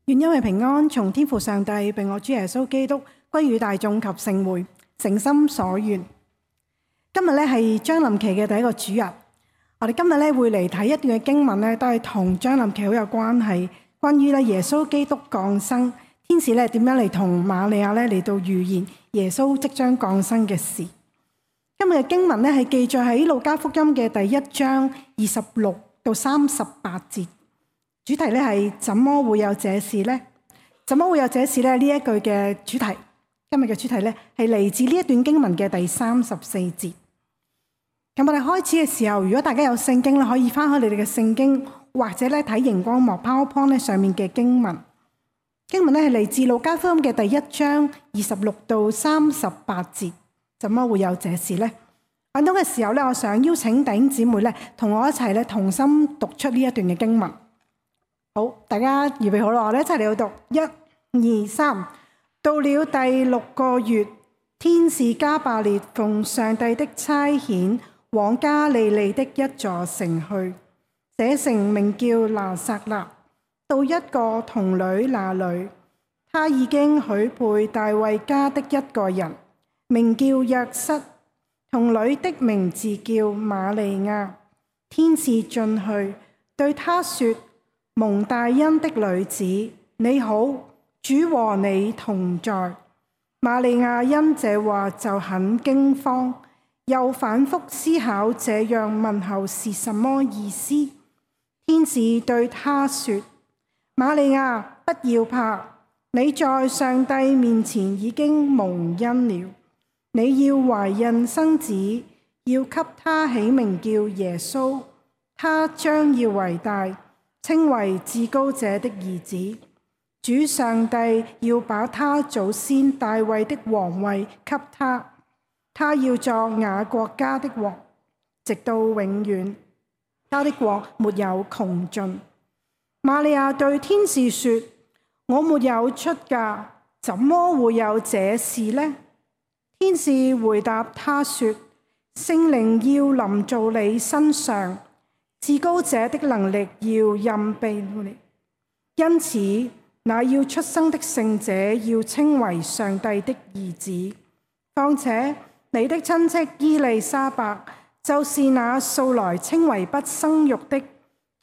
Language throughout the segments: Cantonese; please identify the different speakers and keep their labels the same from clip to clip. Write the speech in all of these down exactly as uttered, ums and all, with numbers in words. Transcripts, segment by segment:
Speaker 1: 願因為平安從天父上帝並我主耶穌基督歸於大眾及聖會，誠心所願。今日咧係將臨期嘅第一個主日，我哋今日咧會嚟睇一段嘅經文咧，都係同將臨期好有關係。關於咧耶穌基督降生，天使咧點樣嚟同瑪利亞咧嚟到預言耶穌即將降生嘅事。今日嘅經文咧係記載喺路加福音嘅第一章二十六到三十八節。主題咧係怎麼會有這事呢？怎麼會有這事呢？呢一句嘅主題，今日嘅主題咧係嚟自呢一段經文嘅第三十四節。咁我哋開始嘅時候，如果大家有聖經咧，可以翻開你哋嘅聖經，或者咧睇熒光幕 PowerPoint 咧上面嘅經文。經文咧係嚟自路加福音嘅第一章二十六到三十八節。怎麼會有這事呢？揾到嘅時候咧，我想邀請弟兄姊妹咧同我一齊咧同心讀出呢一段嘅經文。好，大家預備好啦，我哋一齊嚟到讀，一、二、三。到了第六個月，天使加百列奉上帝的差遣，往加利利的一座城去，這城名叫拿撒勒，到一個童女那裏，他已經許配大衛家的一個人，名叫約瑟，童女的名字叫瑪利亞。天使進去對他說：蒙大恩的女子，你好，主和你同在。瑪利亞因這話就很驚慌，又反覆思考這樣問候是什麼意思。天使對她說：瑪利亞，不要怕，你在上帝面前已經蒙恩了。你要懷孕生子，要給他起名叫耶穌，他將要為大，稱為至高者的兒子。主上帝要把他祖先大衛的王位給他，他要作雅各家的王，直到永遠，他的國沒有窮盡。瑪利亞對天使說：我沒有出嫁，怎麼會有這事呢？天使回答他說：聖靈要臨到你身上，至高者的能力要蔭庇你，因此那要出生的聖者要稱為上帝的兒子。況且你的親戚伊麗莎白，就是那素來稱為不生育的，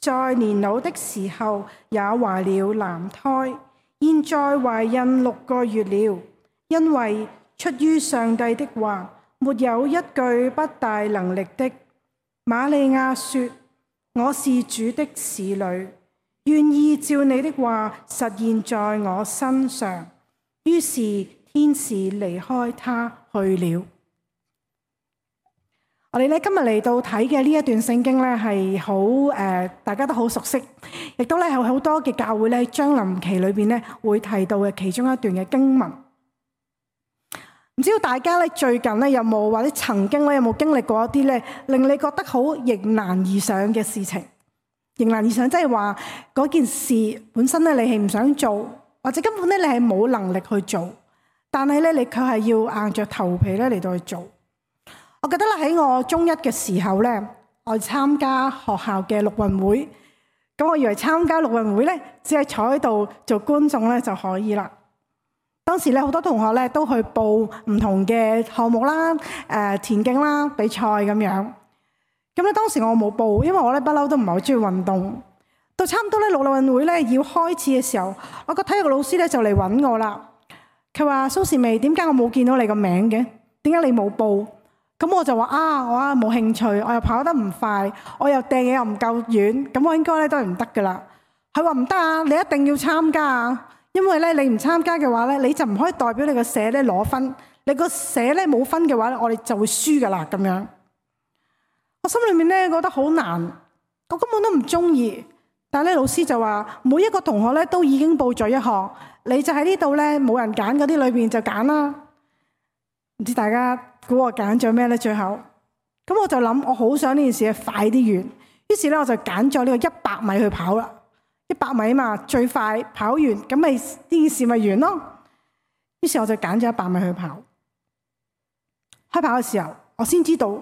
Speaker 1: 在年老的時候也懷了男胎，現在懷孕六個月了，因為出於上帝的話，沒有一句不大能力的。瑪利亞說：我是主的使女，願意照你的話實現在我身上。於是天使離開他去了。我哋咧今日嚟到睇嘅呢一段聖經咧係好誒，大家都好熟悉，亦都咧有好多嘅教會咧將臨期裏邊咧會提到嘅其中一段嘅經文。唔知道大家咧最近咧有冇或者曾經咧有冇經歷過一啲咧令你覺得好迎難而上嘅事情？迎難而上即係話嗰件事本身咧你係唔想做，或者根本咧你係冇能力去做，但係咧你卻係要硬着頭皮咧嚟到去做。我記得咧喺我中一嘅時候咧，我參加學校嘅陸運會，咁我以為參加陸運會咧只係坐喺度做觀眾咧就可以啦。當時咧好多同學咧都去報唔同嘅項目啦，誒田徑啦、比賽咁樣。咁咧當時我冇報，因為我咧不嬲都唔係好中意運動。到差唔多咧陸運會咧要開始嘅時候，我個體育老師咧就嚟揾我啦。佢話：蘇士媚，點解我冇見到你個名嘅？點解你冇報？咁我就話：啊，我啊冇興趣，我又跑得唔快，我又掟嘢又唔夠遠，咁我應該咧都係唔得噶啦。佢話唔得啊，你一定要參加啊！因為咧，你唔參加嘅話咧，你就唔可以代表你個社咧攞分。你個社咧冇分嘅話咧，我哋就會輸噶啦咁樣。我心裏面咧覺得好難，我根本都唔中意。但係咧，老師就話每一個同學咧都已經報咗一項，你就喺呢度咧冇人揀嗰啲裏邊就揀啦。唔知大家估我揀咗咩咧？最後咁我就諗，我好想呢件事快啲完，於是咧我就揀咗呢個一百米去跑啦。一百米嘛，最快跑完，咁咪呢件事咪完咯。於是我就揀咗一百米去跑。開跑嘅時候，我先知道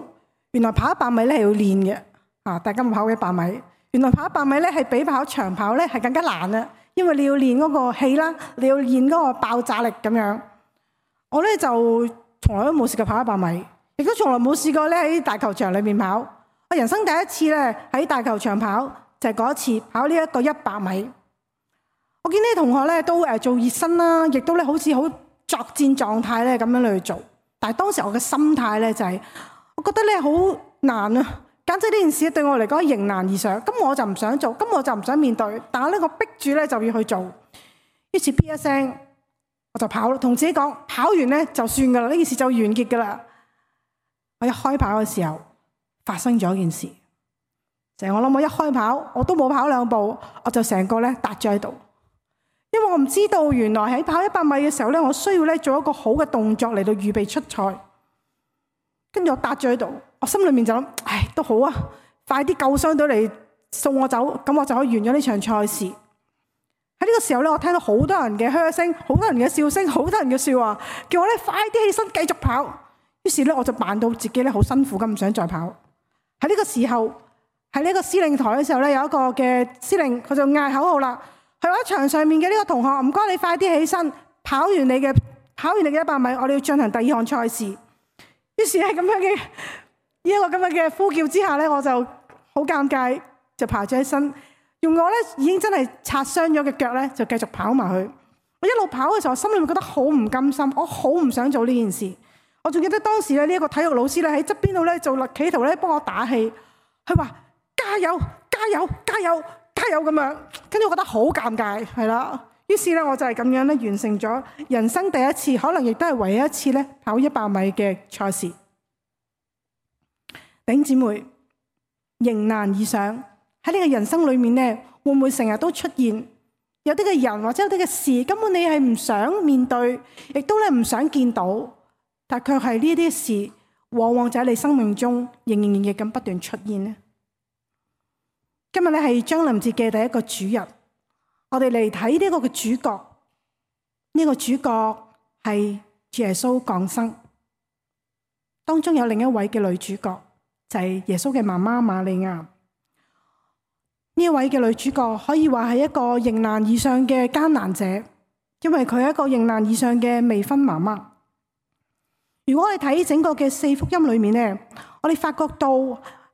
Speaker 1: 原來跑一百米咧係要練嘅。啊，大家冇跑過一百米，原來跑一百米咧係比跑長跑咧係更加難啊，因為你要練嗰個氣啦，你要練嗰個爆炸力咁樣。我咧就從來都冇試過跑一百米，亦都從來冇試過咧喺大球場裏面跑。我人生第一次咧喺大球場跑就係嗰一次跑呢一個一百米。我見啲同學咧都誒做熱身啦，亦都咧好似好作戰狀態咧咁樣去做。但係當時我嘅心態咧就係，我覺得咧好難啊，簡直呢件事對我嚟講迎難而上。咁我就唔想做，咁我就唔想面對。但係咧我逼住咧就要去做。於是 P 一聲。我就跑，同自己講，跑完咧就算噶啦，呢件事就完結噶啦。我一開跑嘅時候，發生咗一件事，就係我諗我一開跑，我都冇跑兩步，我就成個咧笪咗喺度。因為我唔知道原來喺跑一百米嘅時候咧，我需要咧做一個好嘅動作嚟到預備出賽。跟住我笪咗喺度，我心裏面就諗，唉，都好啊，快啲救傷隊嚟送我走，咁我就可以完咗呢場賽事。喺呢個時候咧，我聽到好多人嘅噓聲，好多人嘅笑聲，好多人嘅笑話，叫我咧快啲起身繼續跑。於是咧，我就扮到自己咧好辛苦咁，唔想再跑。喺呢個時候，喺呢個司令台嘅時候咧，有一個嘅司令，佢就嗌口號啦。佢話場上面嘅呢個同學，唔該你快啲起身，跑完你嘅跑完你嘅一百米，我哋要進行第二項賽事。於是喺咁樣嘅呢一個咁樣嘅呼叫之下咧，我就好尷尬，就爬咗起身。用我咧已經真係擦傷咗嘅腳咧，就繼續跑埋去。我一路跑嘅時候，我心裏面覺得好唔甘心，我好唔想做呢件事。我仲記得當時咧呢一個體育老師咧喺側邊度咧做企圖咧幫我打氣，佢話加油加油加油加油咁樣。跟住我覺得好尷尬，係啦。於是咧我就係咁樣咧完成咗人生第一次，可能亦都係唯一一次咧跑一百米嘅賽事。弟兄姊妹，迎難而上。喺呢個人生裏面咧，會唔會成日都出現有啲嘅人或者有啲嘅事，根本你係唔想面對，亦都咧唔想見到，但卻係呢啲事，往往就喺你生命中仍然亦咁不斷出現呢？今日咧係將臨節嘅第一個主日，我哋嚟睇呢個嘅主角，呢個主角係主耶穌降生，當中有另一位嘅女主角，就係耶穌嘅媽媽瑪利亞。呢一位嘅女主角可以話係一個迎難而上嘅艱難者，因為佢係一個迎難而上嘅未婚媽媽。如果我哋睇整個嘅四福音裏面呢，我哋發覺到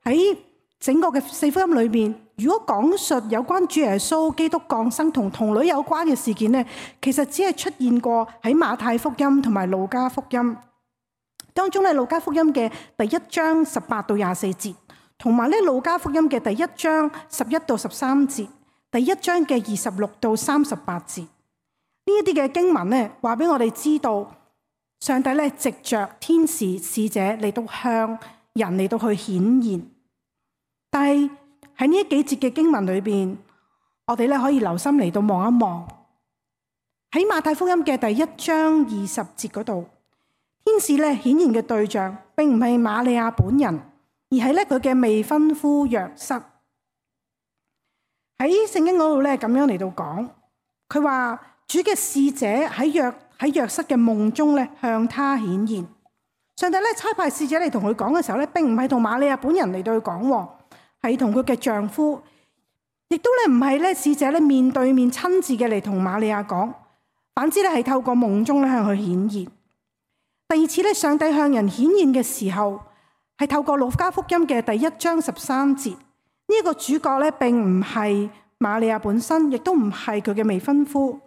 Speaker 1: 喺整個嘅四福音裏面，如果講述有關主耶穌基督降生同童女有關嘅事件呢，其實只係出現過喺馬太福音同埋路加福音當中咧。路加福音嘅第一章十八到廿四節。同埋咧，路加福音嘅第一章十一到十三節，第一章嘅二十六到三十八節，呢一啲嘅經文咧，話俾我哋知道，上帝咧藉着天使使者嚟到向人嚟到去顯現。但係喺呢幾節嘅經文裏邊，我哋咧可以留心嚟到望一望，喺馬太福音嘅第一章二十節嗰度，天使咧顯現嘅對象並唔係瑪利亞本人，而係咧佢嘅未婚夫約瑟。喺聖經嗰度咧咁樣嚟到講，佢話主嘅使者喺約喺約瑟嘅夢中咧向他顯現。上帝咧差派使者嚟同佢講嘅時候咧，並唔係同瑪利亞本人嚟到去講，係同佢嘅丈夫，亦都咧唔係咧使者咧面對面親自嘅嚟同瑪利亞講，反之咧係透過夢中咧向佢顯現。第二次咧上帝向人顯現嘅時候，係透過路加福音嘅第一章十三節，呢、這、一個主角咧並唔係瑪利亞本身，亦都唔係佢嘅未婚夫，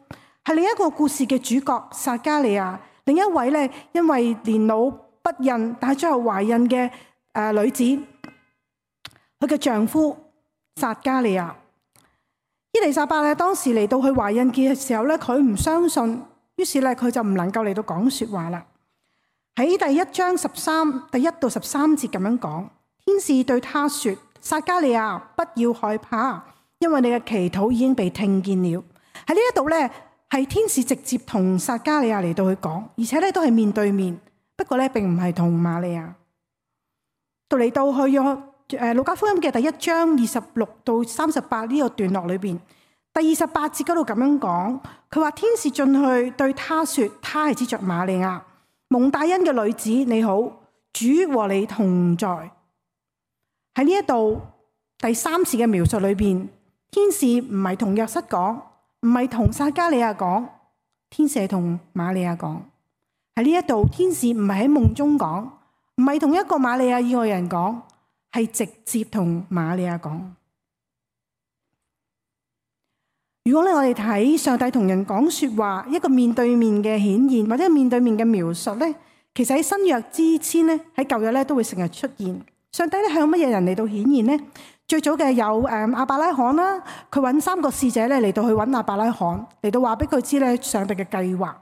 Speaker 1: 係另一個故事嘅主角撒迦利亞，另一位咧因為年老不孕但係最後懷孕嘅誒女子，佢嘅丈夫撒迦利亞。伊麗莎白咧當時嚟到佢懷孕嘅時候咧，佢唔相信，於是咧佢就唔能夠嚟到講說話啦。喺第一章十三第一到十三節咁樣講，天使對他說：撒迦利亞，不要害怕，因為你嘅祈禱已經被聽見了。喺呢一度咧，係天使直接同撒迦利亞嚟到去講，而且咧都係面對面。不過咧，並唔係同瑪利亞。到嚟到去約誒路加福音嘅第一章二十六到三十八呢個段落裏邊，第二十八節嗰度咁樣講，佢話天使進去對他說：他係指着瑪利亞。蒙大恩嘅女子你好，主和你同在。喺呢一度第三次嘅描述裏邊，天使唔係同約瑟講，唔係同撒迦利亞講，天使係同瑪利亞講。喺呢一度，天使唔係喺夢中講，唔係同一個瑪利亞以外人講，係直接同瑪利亞講。如果咧我哋睇上帝同人講說話，一個面對面嘅顯現或者面對面嘅描述咧，其實喺新約之前咧，喺舊約咧都會成日出現。上帝咧向乜嘢人嚟到顯現呢？最早嘅有誒亞伯拉罕啦，佢揾三個使者咧嚟到去揾亞伯拉罕，嚟到話俾佢知咧上帝嘅計劃。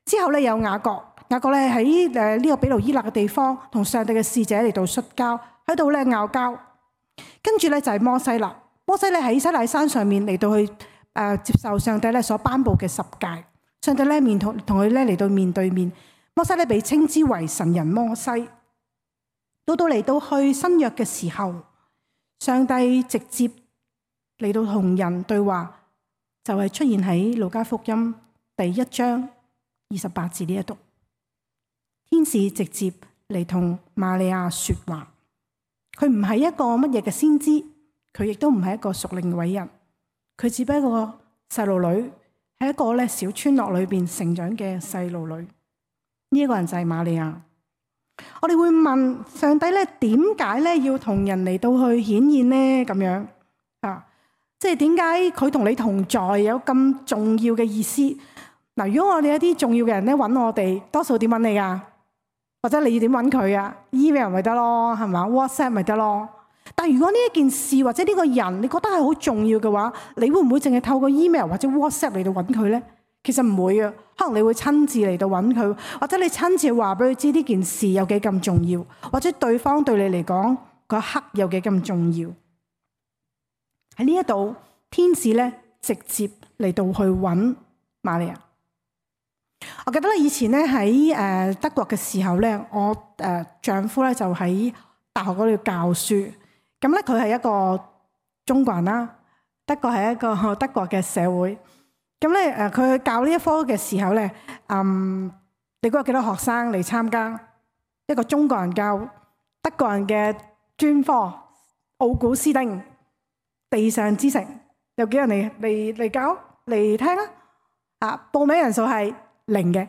Speaker 1: 之後咧有雅各，雅各咧喺誒呢個比路伊勒嘅地方同上帝嘅使者嚟到摔跤，喺度咧拗交。跟住咧就係摩西啦，摩西咧喺西奈山上面嚟到去。誒、呃、接受上帝咧所頒布嘅十誡，上帝咧面同同佢咧嚟到面對面，摩西咧被稱之為神人摩西。到到嚟到去新約嘅時候，上帝直接嚟到同人對話，就係、是、出現喺路加福音第一章二十八節呢一度，天使直接嚟同瑪利亞說話。佢唔係一個乜嘢嘅先知，佢亦都唔係一個屬靈嘅偉人。佢只不過細路女，喺一個咧小村落裏邊成長嘅細路女。呢、這、一個人就係瑪利亞。我哋會問上帝咧，點解咧要同人嚟到去顯現呢？咁樣啊，即係點解佢同你同在有咁重要嘅意思？嗱，如果我哋一啲重要嘅人咧揾我哋，多數點揾你噶？或者你要點揾佢啊 ？email 咪得咯，係嘛 ？WhatsApp 咪得咯？但如果呢一件事或者呢個人你覺得係好重要嘅話，你會唔會淨係透過 email 或者 WhatsApp 嚟到揾佢呢？其實唔會啊，可能你會親自嚟到揾佢，或者你親自話俾佢知呢件事有幾咁重要，或者對方對你嚟講嗰一刻有幾咁重要。喺呢一度，天使咧直接嚟到去揾瑪利亞。我記得咧以前咧喺誒德國嘅時候咧，我誒丈夫咧就喺大學嗰度教書。咁咧佢係一個中國人啦，德國係一個德國嘅社會。咁咧誒佢教呢一科嘅時候咧，嗯，你估有幾多學生嚟參加一個中國人教德國人嘅專科？奧古斯丁地上之城有幾人嚟嚟嚟教嚟聽啊？啊，報名人數係零嘅，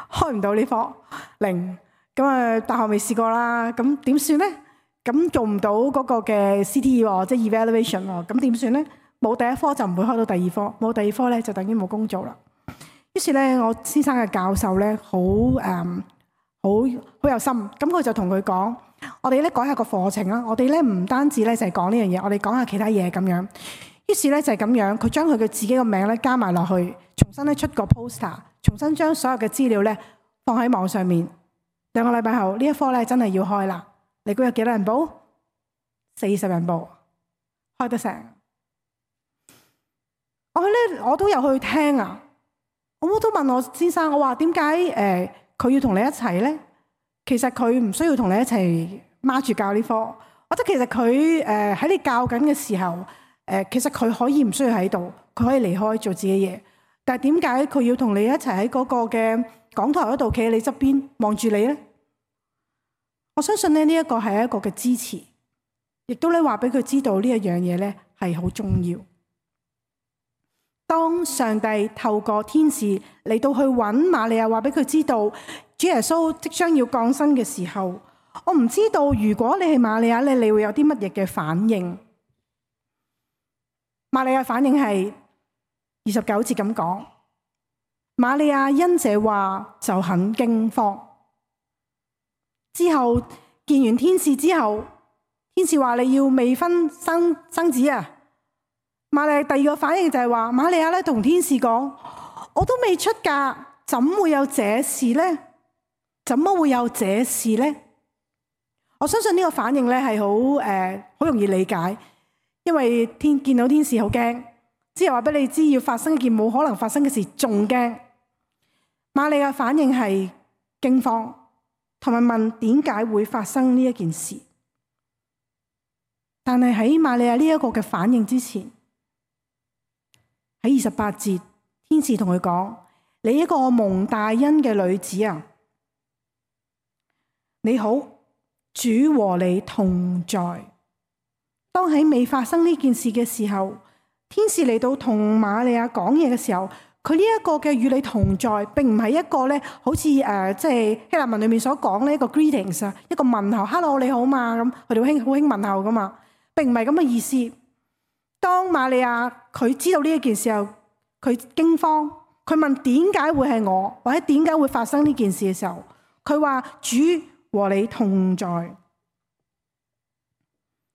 Speaker 1: 開唔到呢科零。咁啊，大學未試過啦，咁點算咧？咁做唔到嗰個嘅 C T E 喎，即係 evaluation 喎，咁點算咧？冇第一科就唔會開到第二科，冇第二科咧就等於冇工做啦。於是咧，我先生嘅教授咧好誒好好有心，咁佢就同佢講：我哋咧改下個課程啦，我哋咧唔單止咧就係講呢樣嘢，我哋講下其他嘢咁樣。於是咧就係咁樣，佢將佢嘅自己個名咧加埋落去，重新咧出個 poster， 重新將所有嘅資料咧放喺網上面。兩個禮拜後呢一科咧真係要開啦。你估有幾多人報？四十人報，開得成。我咧我都有去聽啊，我都問我先生，我話點解誒佢要同你一齊咧？其實佢唔需要同你一齊孖住教呢科，或者其實佢誒喺你教緊嘅時候，誒、呃、其實佢可以唔需要喺度，佢可以離開做自己嘢。但係點解佢要同你一齊喺嗰個嘅講台嗰度企喺你側邊望住你咧？我相信咧呢一個係一個嘅支持，亦都咧話俾佢知道呢一樣嘢咧係好重要。當上帝透過天使嚟到去揾瑪利亞，話俾佢知道主耶穌即將要降生嘅時候，我唔知道如果你係瑪利亞咧，你會有啲乜嘢嘅反應？瑪利亞反應係二十九節咁講，瑪利亞因這話就很驚慌。之後見完天使之後，天使話你要未婚生生子啊！瑪利亞第二個反應就係話，瑪利亞咧同天使講：我都未出嫁，怎會有這事呢？怎麼會有這事呢？我相信呢個反應咧係好誒好容易理解，因為天見到天使好驚，之後話俾你知要發生一件冇可能發生嘅事，仲驚。瑪利亞反應係驚慌。同埋問點解會發生呢一件事？但係喺瑪利亞呢一個嘅反應之前，喺二十八節，天使同佢講：你一個蒙大恩嘅女子啊，你好，主和你同在。當喺未發生呢件事嘅時候，天使嚟到同瑪利亞講嘢嘅時候，佢呢一個嘅與你同在，並唔係一個咧，好似誒即係希臘文裏面所講呢一個 greetings 啊，一個問候 ，hello 你好嘛咁，佢哋好興好興問候噶嘛，並唔係咁嘅意思。當瑪利亞佢知道呢一件事後，佢驚慌，佢問點解會係我，或者點解會發生呢件事嘅時候，佢話主和你同在。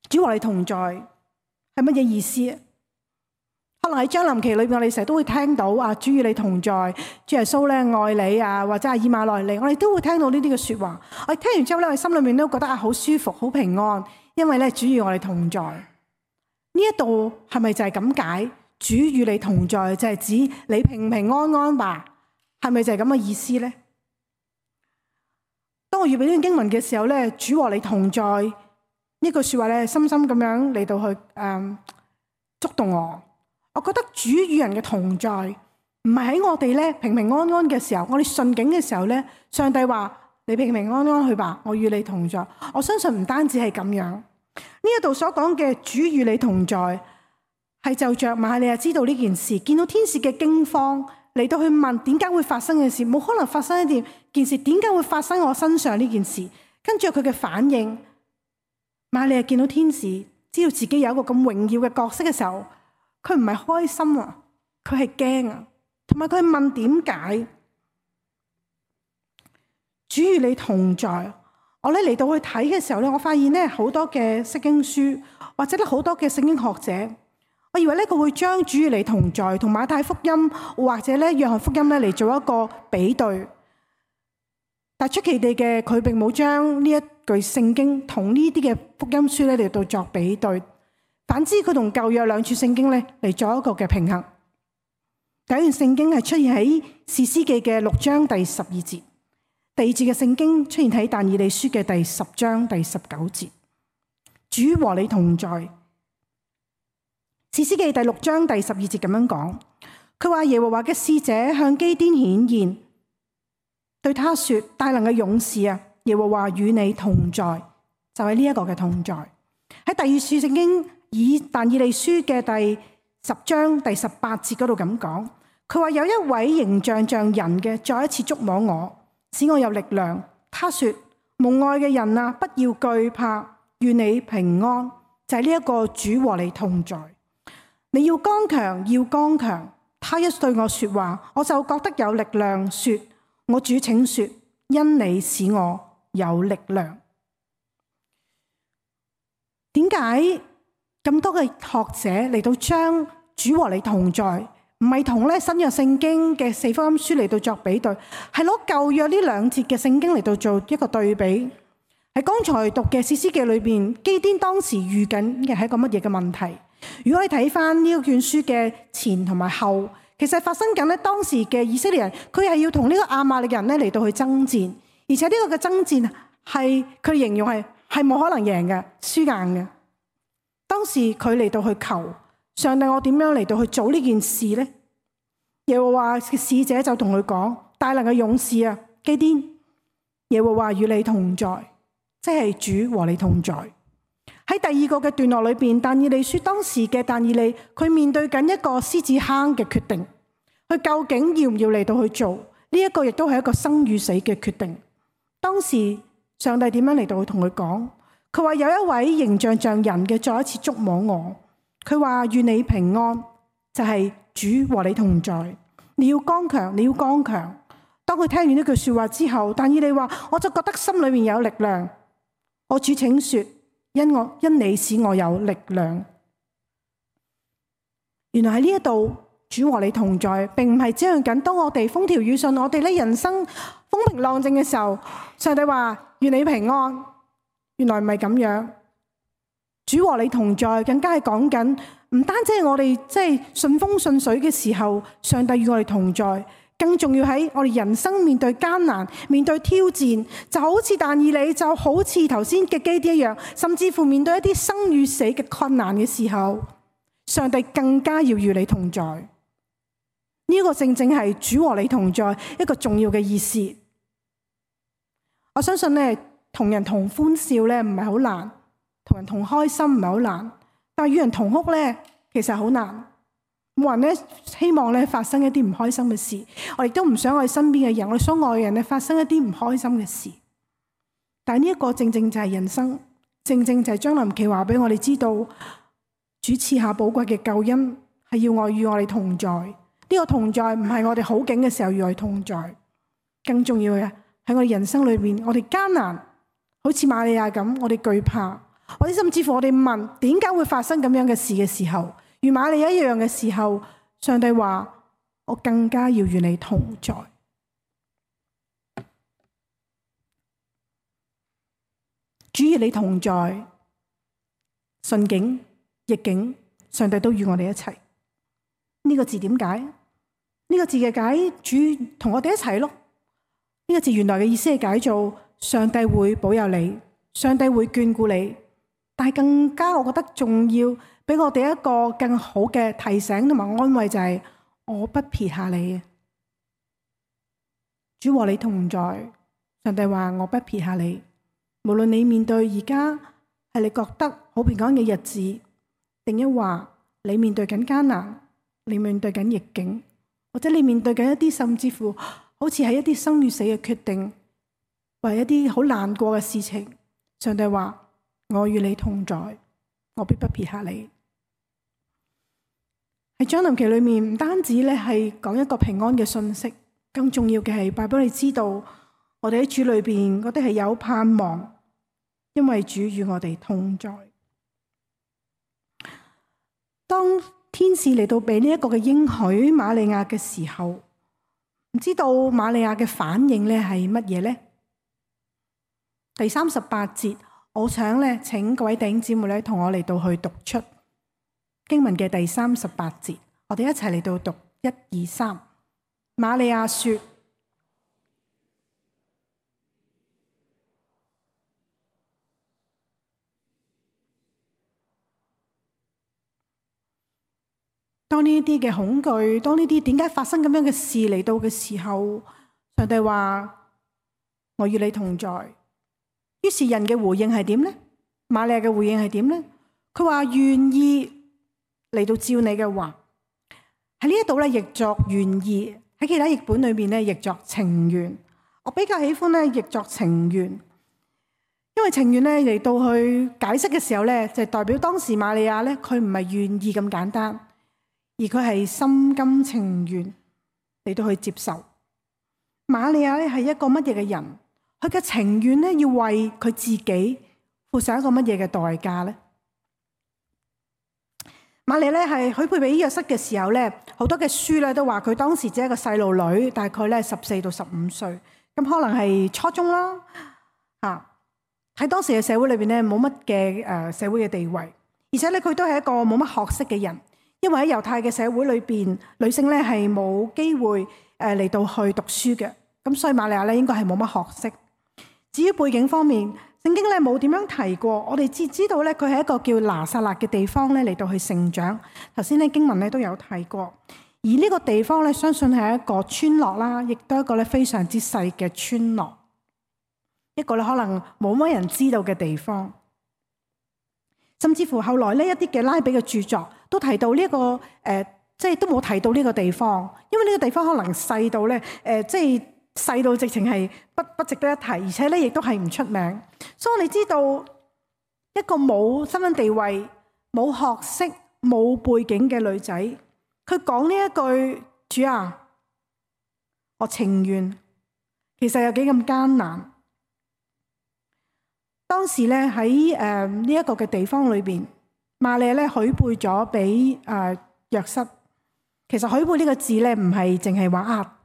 Speaker 1: 主和你同在係乜嘢意思？可能喺將臨期裏邊，我哋成日都會聽到啊，主與你同在，主耶穌咧愛你啊，或者係以馬內利，我哋都會聽到呢啲嘅說話。我哋聽完之後咧，我哋心裏面都覺得啊，好舒服，好平安，因為咧主與我哋同在。呢一度係咪就係咁解？主與你同在就係指你平平安安吧？係咪就係咁嘅意思咧？當我預備呢段經文嘅時候咧，主和你同在呢句說話咧，深深咁樣嚟到去誒、嗯、觸動我。我覺得主與人嘅同在，唔係喺我哋咧平平安安嘅時候，我哋順境嘅時候咧，上帝話你平平安安去吧，我與你同在。我相信唔單止係咁樣，呢一度所講嘅主與你同在，係就着瑪利亞知道呢件事，見到天使嘅驚慌嚟到去問點解會發生嘅事，冇可能發生一件事，點解會發生我身上呢件事？跟住佢嘅反應，瑪利亞見到天使，知道自己有一個咁榮耀嘅角色嘅時候，佢唔係開心啊，佢係驚啊，同埋佢係問點解？主與你同在，我咧嚟到去睇嘅時候咧，我發現咧好多嘅釋經書或者咧好多嘅聖經學者，我以為咧佢會將主與你同在同馬太福音或者咧約翰福音咧嚟做一個比對，但出奇地嘅佢並冇將呢一句聖經同呢啲嘅福音書咧嚟到作比對。反之，佢同舊約兩處聖經咧嚟做一個嘅平衡。第一段聖經係出現喺士師記嘅六章第十二節，第二節嘅聖經出現喺但以理書嘅第十章第十九節。主和你同在。士師記第六章第十二節咁樣講，佢話耶和華嘅使者向基甸顯現，對他說：大能嘅勇士啊，耶和華與你同在，就係呢一個嘅同在。喺第二處聖經。以但以理書嘅第十章第十八節嗰度咁講，佢話有一位形象像人嘅再一次觸摸我，使我有力量。他說：蒙愛嘅人啊，不要懼怕，願你平安。就係呢一個主和你同在，你要剛強，要剛強。他一對我說話，我就覺得有力量。說：我主請說，因你使我有力量。點解？咁多嘅學者嚟到將主和你同在，唔係同咧新約聖經嘅四福音書嚟到作比對，係攞舊約呢兩節嘅聖經嚟到做一個對比。喺剛才讀嘅士師記裏邊，基甸當時遇緊嘅係一個乜嘢嘅問題？如果你睇翻呢卷書嘅前同埋後，其實發生緊咧當時嘅以色列人，佢係要同呢個亞瑪力人咧嚟到去爭戰，而且呢個嘅爭戰係佢形容係係冇可能贏嘅，輸硬嘅。當時佢嚟到去求上帝，我點樣嚟到去做呢件事呢？耶和華嘅使者就同佢講：大能嘅勇士啊，基甸，耶和華與你同在，即係主和你同在。喺第二個嘅段落裏邊，但以理書當時嘅但以理，佢面對緊一個獅子坑嘅決定，佢究竟要唔要嚟到去做呢？一個亦都係一個生與死嘅決定。當時上帝點樣嚟到去同佢講？佢話有一位形象像人嘅再一次觸摸我，佢話願你平安，就係主和你同在。你要剛強，你要剛強。當佢聽完呢句說話之後，但以理話我就覺得心裏面有力量。我主請說，因我因你使我有力量。原來喺呢一度，主和你同在，並唔係只係緊當我哋風調雨順，我哋咧人生風平浪靜嘅時候，上帝話願你平安。原來唔係咁樣，主和你同在，更加係講緊唔單止係我哋即係順風順水嘅時候，上帝與我哋同在，更重要喺我哋人生面對艱難、面對挑戰，就好似但以理，就好似頭先嘅基甸一樣，甚至乎面對一啲生與死嘅困難嘅時候，上帝更加要與你同在。呢、這個正正係主和你同在一個重要嘅意思。我相信呢。同人同歡笑咧唔係好難，同人同開心唔係好難，但係與人同哭咧其實好難。冇人咧希望咧發生一啲唔開心嘅事，我亦都唔想我哋身邊嘅人，我哋所愛嘅人咧發生一啲唔開心嘅事。但係呢一個正正就係人生，正正就係將臨期話俾我哋知道，主賜下寶貴嘅救恩係要我與我哋同在。呢、這個同在唔係我哋好景嘅時候與我哋同在，更重要嘅喺我哋人生裏邊，我哋艱難，好似瑪利亞咁，我哋懼怕，或者甚至乎我哋問點解會發生咁樣嘅事嘅時候，與瑪利亞一樣嘅時候，上帝話我更加要與你同在。主與你同在，順境逆境，上帝都與我哋一齊。呢、這個字點解？呢、這個字嘅解，主同我哋一齊咯。呢、這個字原來嘅意思係解做上帝會保佑你，上帝會眷顧你。但係更加我覺得重要，俾我哋一個更好嘅提醒同埋安慰就係、是、我不撇下你。主和你同在，上帝話我不撇下你。無論你面對而家係你覺得好平安嘅日子，定一話你面對緊艱難，你面對緊逆境，或者你面對緊一啲甚至乎好似係一啲生與死嘅決定，或係一啲好難過嘅事情，上帝話我與你同在，我必不撇下你。喺將臨期裏面，唔單止咧係講一個平安嘅信息，更重要嘅係話俾你知道，我哋喺主裏邊嗰啲係有盼望。因為主與我哋同在。當天使嚟到俾呢一個嘅應許瑪利亞嘅時候，唔知道瑪利亞嘅反應咧係乜嘢呢？第三十八節，我想咧請各位弟兄姊妹咧同我嚟到去讀出經文嘅第三十八節，我哋一齊嚟到讀一二三。瑪利亞說：當呢啲嘅恐懼，當呢啲點解發生咁樣嘅事嚟到嘅時候，上帝話我與你同在。於是人嘅回應係點呢？瑪利亞嘅回應係點呢？佢話願意嚟到照你嘅話。喺呢一度咧譯作願意，喺其他譯本裏面咧譯作情願。我比較喜歡咧譯作情願，因為情願咧嚟到去解釋嘅時候咧，就代表當時瑪利亞咧佢唔係願意咁簡單。而佢係心甘情願嚟到去接受。瑪利亞咧係一個乜嘢嘅人？佢嘅情願咧要為佢自己付上一個乜嘢嘅代價咧？瑪利亞咧係許配俾約瑟嘅時候咧，好多嘅書咧都話佢當時只係一個細路女，大概咧十四到十五歲，咁可能係初中啦。啊，喺當時嘅社會裏邊咧冇乜嘅誒社會嘅地位，而且咧佢都係一個冇乜學識嘅人。因為喺猶太嘅社會裏邊，女性咧係冇機會誒嚟到去讀書嘅，咁所以瑪利亞咧應該係冇乜學識。至於背景方面，聖經咧冇點樣提過，我哋只知道咧佢係一個叫拿撒勒嘅地方咧嚟到去成長。頭先咧經文咧都有提過，而呢個地方咧相信係一個村落啦，亦都係一個咧非常之細嘅村落，一個咧可能冇乜人知道嘅地方。甚至乎後來呢一啲嘅拉比嘅著作都提到呢、這、一個誒、呃，即係都冇提到呢個地方，因為呢個地方可能細到咧誒、呃，即係細到直情係不不值得一提，而且咧亦都係唔出名。所以我哋知道一個冇身份地位、冇學識、冇背景嘅女仔，佢講呢一句主啊，我情願，其實有幾咁艱難。當時咧喺誒呢一個嘅地方裏邊，瑪利亞咧許配咗俾誒約瑟。其實許配呢個字咧唔係淨係話啊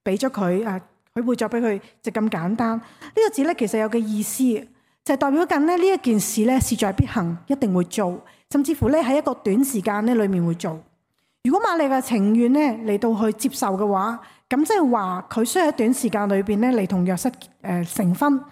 Speaker 1: 俾咗佢啊許配咗俾佢就咁簡單。呢、這個字咧其實有個意思，就係、是、代表緊咧呢一件事咧事在必行，一定會做，甚至乎咧喺一個短時間咧裏面會做。如果瑪利亞嘅情願咧嚟到去接受嘅話，咁即係話佢需要喺短時間裏邊咧嚟同約瑟誒成婚。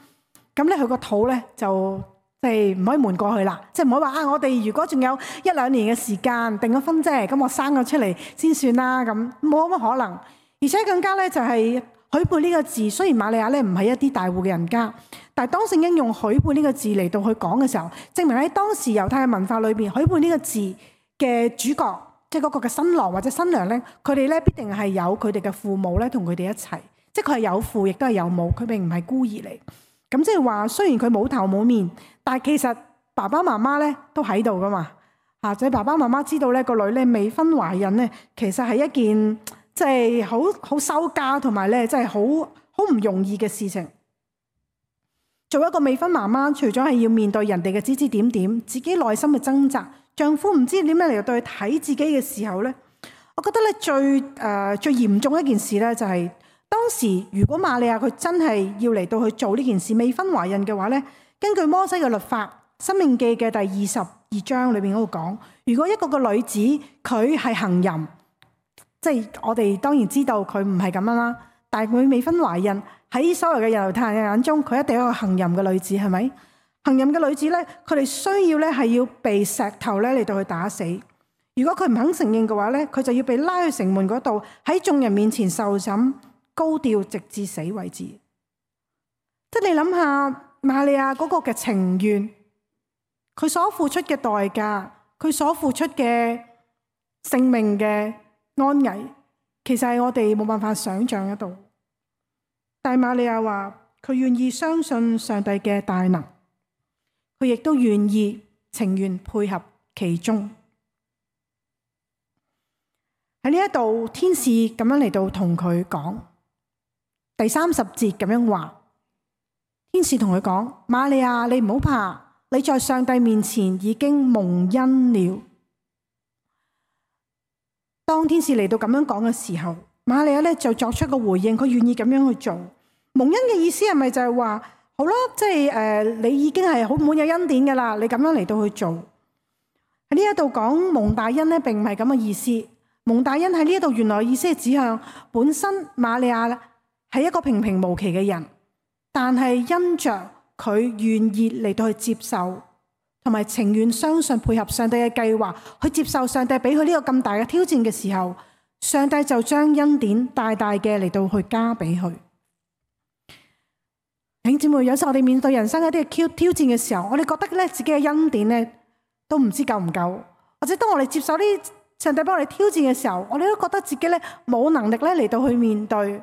Speaker 1: 咁咧，佢個肚咧就即係唔可以瞞過去啦，即係唔可以話啊！我哋如果仲有一兩年嘅時間訂咗婚啫，咁我生咗出嚟先算啦，咁冇乜可能。而且更加咧就係許配呢個字，雖然瑪利亞咧唔係一啲大戶嘅人家，但係當聖經用許配呢個字嚟到去講嘅時候，證明喺當時猶太嘅文化裏邊，許配呢個字嘅主角即係嗰個嘅新郎或者新娘咧，佢哋咧必定係有佢哋嘅父母咧同佢哋一齊，即係佢係有父亦都係有母，佢並唔係孤兒嚟。咁即係話，雖然佢冇頭冇面，但係其實爸爸媽媽咧都喺度噶嘛。嚇，即係爸爸媽媽知道咧個女咧未婚懷孕咧，其實係一件即係好好羞家同埋咧，即係好好唔容易嘅事情。做一個未婚媽媽，除咗係要面對人哋嘅指指點點，自己內心嘅掙扎，丈夫唔知點樣嚟到去睇自己嘅時候咧，我覺得咧最誒、呃、最嚴重一件事咧就係、是。當時如果瑪利亞佢真係要嚟到去做呢件事，未婚懷孕嘅話咧，根據摩西嘅律法，《申命記》嘅第二十二章裏邊嗰度講，如果一個個女子佢係行淫，即係我哋當然知道佢唔係咁樣啦，但係佢未婚懷孕，喺所有嘅猶太人嘅眼中，佢一定係一個行淫嘅女子，係咪？行淫嘅女子咧，佢哋需要咧係要被石頭咧嚟到去打死。如果佢唔肯承認嘅話咧，佢就要被拉去城門嗰度，喺眾人面前受審。高調直至死為止，即係你諗下瑪利亞嗰個嘅情願，佢所付出嘅代價，佢所付出嘅性命嘅安危，其實係我哋冇辦法想象得到。但係瑪利亞話佢願意相信上帝嘅大能，佢亦都願意情願配合其中。喺呢一度，天使咁樣嚟到同佢講。第三十節咁樣話，天使同佢講：瑪利亞，你唔好怕，你在上帝面前已經蒙恩了。當天使嚟到咁樣講嘅時候，瑪利亞咧就作出個回應，佢願意咁樣去做。蒙恩嘅意思係咪就係話，好啦，即係誒，你已經係好滿有恩典噶啦，你咁樣嚟到去做。喺呢一度講蒙大恩咧，並唔係咁嘅意思。蒙大恩喺呢一度原來意思係指向本身瑪利亞係一個平平無奇嘅人，但係因着佢願意嚟到去接受，同埋情願相信配合上帝嘅計劃，去接受上帝俾佢呢個咁大嘅挑戰嘅時候，上帝就將恩典大大嘅嚟到去加俾佢。弟兄姊妹，有時候我哋面對人生一啲嘅挑挑戰嘅時候，我哋覺得咧自己嘅恩典咧都唔知夠唔夠，或者當我哋接受呢上帝幫我哋挑戰嘅時候，我哋都覺得自己咧冇能力咧嚟到去面對。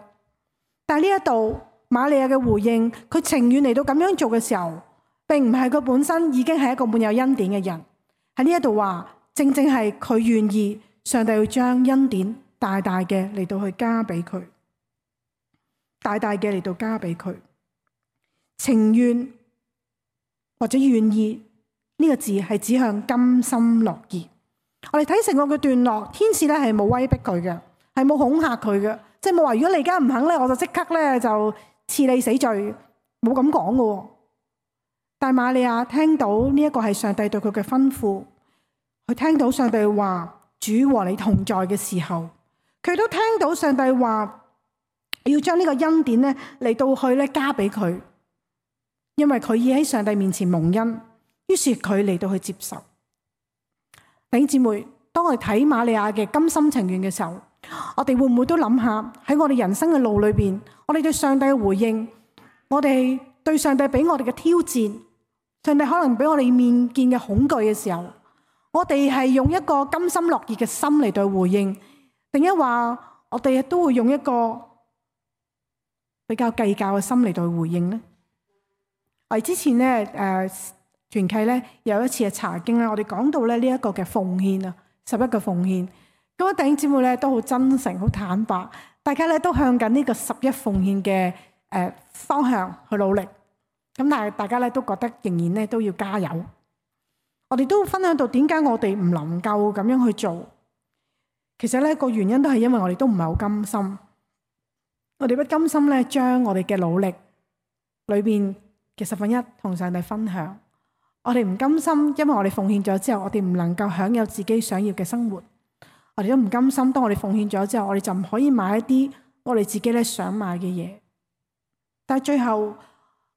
Speaker 1: 但係呢一度瑪利亞嘅回應，佢情願嚟到咁樣做嘅時候，並唔係佢本身已經係一個滿有恩典嘅人。喺呢一度話，正正係佢願意上帝要將恩典大大嘅嚟到去加俾佢，大大嘅嚟到加俾佢。情願或者願意呢個字係指向甘心樂意。我哋睇成個嘅段落，天使咧係冇威逼佢嘅，係冇恐嚇佢嘅。即係冇話，如果你而家唔肯咧，我就即刻咧就賜你死罪，冇咁講嘅。但係瑪利亞聽到呢一個係上帝對佢嘅吩咐，佢聽到上帝話主和你同在嘅時候，佢都聽到上帝話要將呢個恩典咧嚟到去咧加俾佢，因為佢已喺上帝面前蒙恩，於是佢嚟到去接受。弟兄姊妹，當我哋睇瑪利亞嘅甘心情願嘅時候，我哋會唔會都諗下喺我哋人生嘅路裏邊，我哋對上帝嘅回應，我哋對上帝俾我哋嘅挑戰，上帝可能俾我哋面見嘅恐懼嘅時候，我哋係用一個甘心樂意嘅心嚟對回應，定一話我哋都會用一個比較計較嘅心嚟對回應呢？我哋之前咧誒團契咧有一次嘅查經啦，我哋講到咧呢一個嘅奉獻啊，十一個奉獻。咁弟兄姊妹咧都好真誠、好坦白，大家咧都向緊呢個十一奉獻嘅誒方向去努力。咁但係大家咧都覺得仍然咧都要加油。我哋都分享到點解我哋唔能夠咁樣去做。其實咧個原因都係因為我哋都唔係好甘心。我哋不甘心咧將我哋嘅努力裏邊嘅十分一同上帝分享。我哋唔甘心，因為我哋奉獻咗之後，我哋唔能夠享有自己想要嘅生活。我哋都唔甘心，當我哋奉獻咗之後，我哋就唔可以買一啲我哋自己咧想買嘅嘢。但係最後，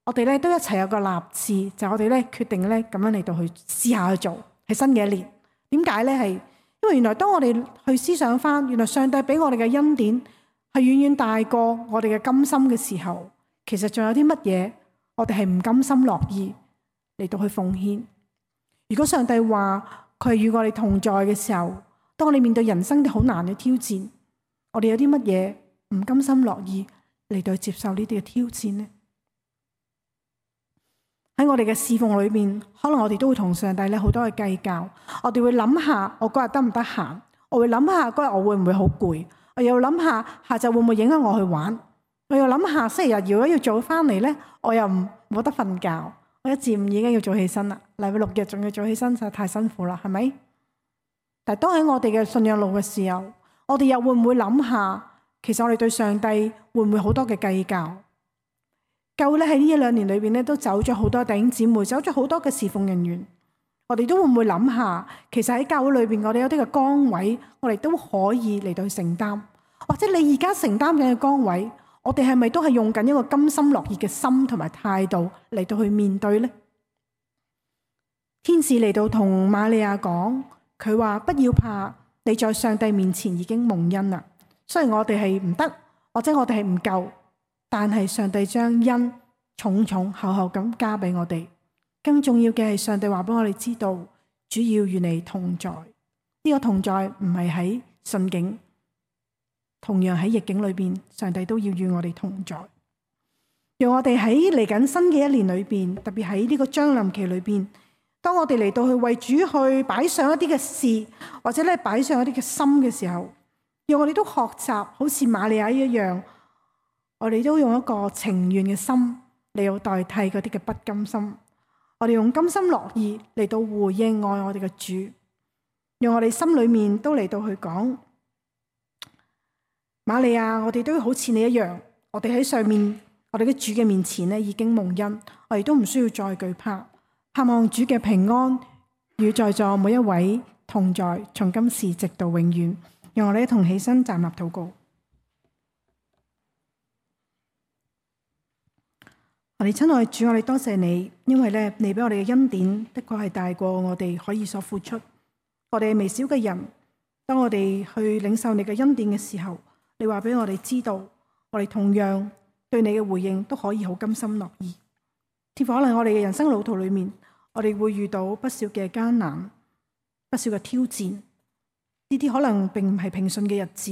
Speaker 1: 我哋咧都一齊有個立志，就係我哋咧決定咧咁樣嚟到去試下去做，係新嘅一年。點解咧？係因為原來當我哋去思想翻，原來上帝俾我哋嘅恩典係遠遠大過我哋嘅甘心嘅時候，其實仲有啲乜嘢我哋係唔甘心樂意嚟到去奉獻。如果上帝話佢係與我哋同在嘅時候，當我哋面對人生啲好難嘅挑戰，我哋有啲乜嘢唔甘心樂意嚟到接受呢啲嘅挑戰呢？喺我哋嘅侍奉裏面，可能我哋都會同上帝咧好多嘅計較。我哋會諗下我嗰日得唔得閒，我會諗下嗰日我會唔會好攰，我又諗下下晝會唔會影響我去玩，我又諗下星期日如果要早翻嚟咧，我又唔冇得瞓覺，我一至五已經要早起身啦，禮拜六日仲要早起身，實在太辛苦啦，係咪？但係當喺我哋嘅信仰路嘅時候，我哋又會唔會諗下，其實我哋對上帝會唔會好多嘅計較？教會咧喺呢一兩年裏邊咧，都走咗好多弟兄姊妹，走咗好多嘅侍奉人員。我哋都會唔會諗下，其實喺教會裏邊，我哋有啲嘅崗位，我哋都可以嚟到去承擔。或者你而家承擔緊嘅崗位，我哋係咪都係用緊一個甘心樂意嘅心同埋態度嚟到去面對呢？天使嚟到同瑪利亞講，佢話不要怕，你在上帝面前已經蒙恩啦。雖然我哋係唔得，或者我哋係唔夠。但係上帝將恩重重厚厚咁加俾我哋，更重要嘅係上帝話俾我哋知道，主要與你同在。呢、這個同在唔係喺順境，同樣喺逆境裏邊，上帝都要與我哋同在。讓我哋喺嚟緊新嘅一年裏邊，特別喺呢個將臨期裏邊，當我哋嚟到去為主去擺上一啲嘅事，或者咧擺上一啲嘅心嘅時候，讓我哋都學習好似瑪利亞一樣。我哋都用一個情願嘅心嚟到代替嗰啲嘅不甘心，我哋用甘心樂意嚟到回應愛我哋嘅主，用我哋心裏面都嚟到去講，瑪利亞，我哋都好似你一樣，我哋喺上面，我哋嘅主嘅面前咧已經蒙恩，我哋都唔需要再懼怕，盼望主嘅平安與在座每一位同在，從今時直到永遠。讓我哋一同起身站立禱告。我哋親愛的主，我哋多謝你，因為咧你俾我哋嘅恩典的確係大過我哋可以所付出。我哋微小嘅人，當我哋去領受你嘅恩典嘅時候，你話俾我哋知道，我哋同樣對你嘅回應都可以好甘心樂意。天父，可能我哋嘅人生路途裏面，我哋會遇到不少嘅艱難，不少嘅挑戰，呢啲可能並唔係平順嘅日子，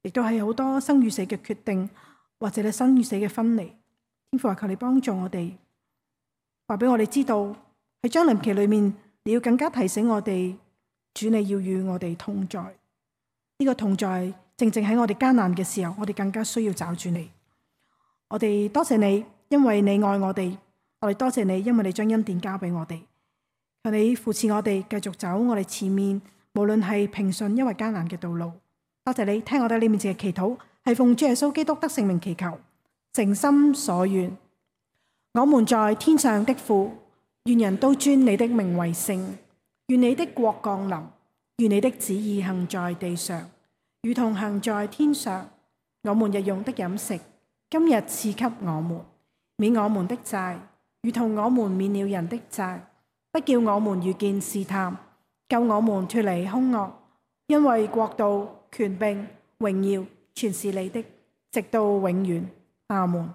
Speaker 1: 亦都係好多生與死嘅決定，或者係生與死嘅分離。天父，求你幫助我哋，話俾我哋知道喺將臨期裏面，你要更加提醒我哋，主你要與我哋同在。呢、這個同在正正喺我哋艱難嘅時候，我哋更加需要找住你。我哋多謝你，因為你愛我哋；我哋多謝你，因為你將恩典交俾我哋。求你扶持我哋，繼續走我哋前面，無論係平順因為艱難嘅道路。多謝你聽我哋呢面前嘅祈禱，係奉主耶穌基督得聖名祈求。誠心所願，我們在天上的父，願人都尊你的名為聖。願你的國降臨，願你的旨意行在地上，如同行在天上。我們日用的飲食，今日賜給我們，免我們的債，如同我們免了人的債。不叫我們遇見試探，救我們脫離兇惡。因為國度、權柄、榮耀，全是你的，直到永遠。阿門。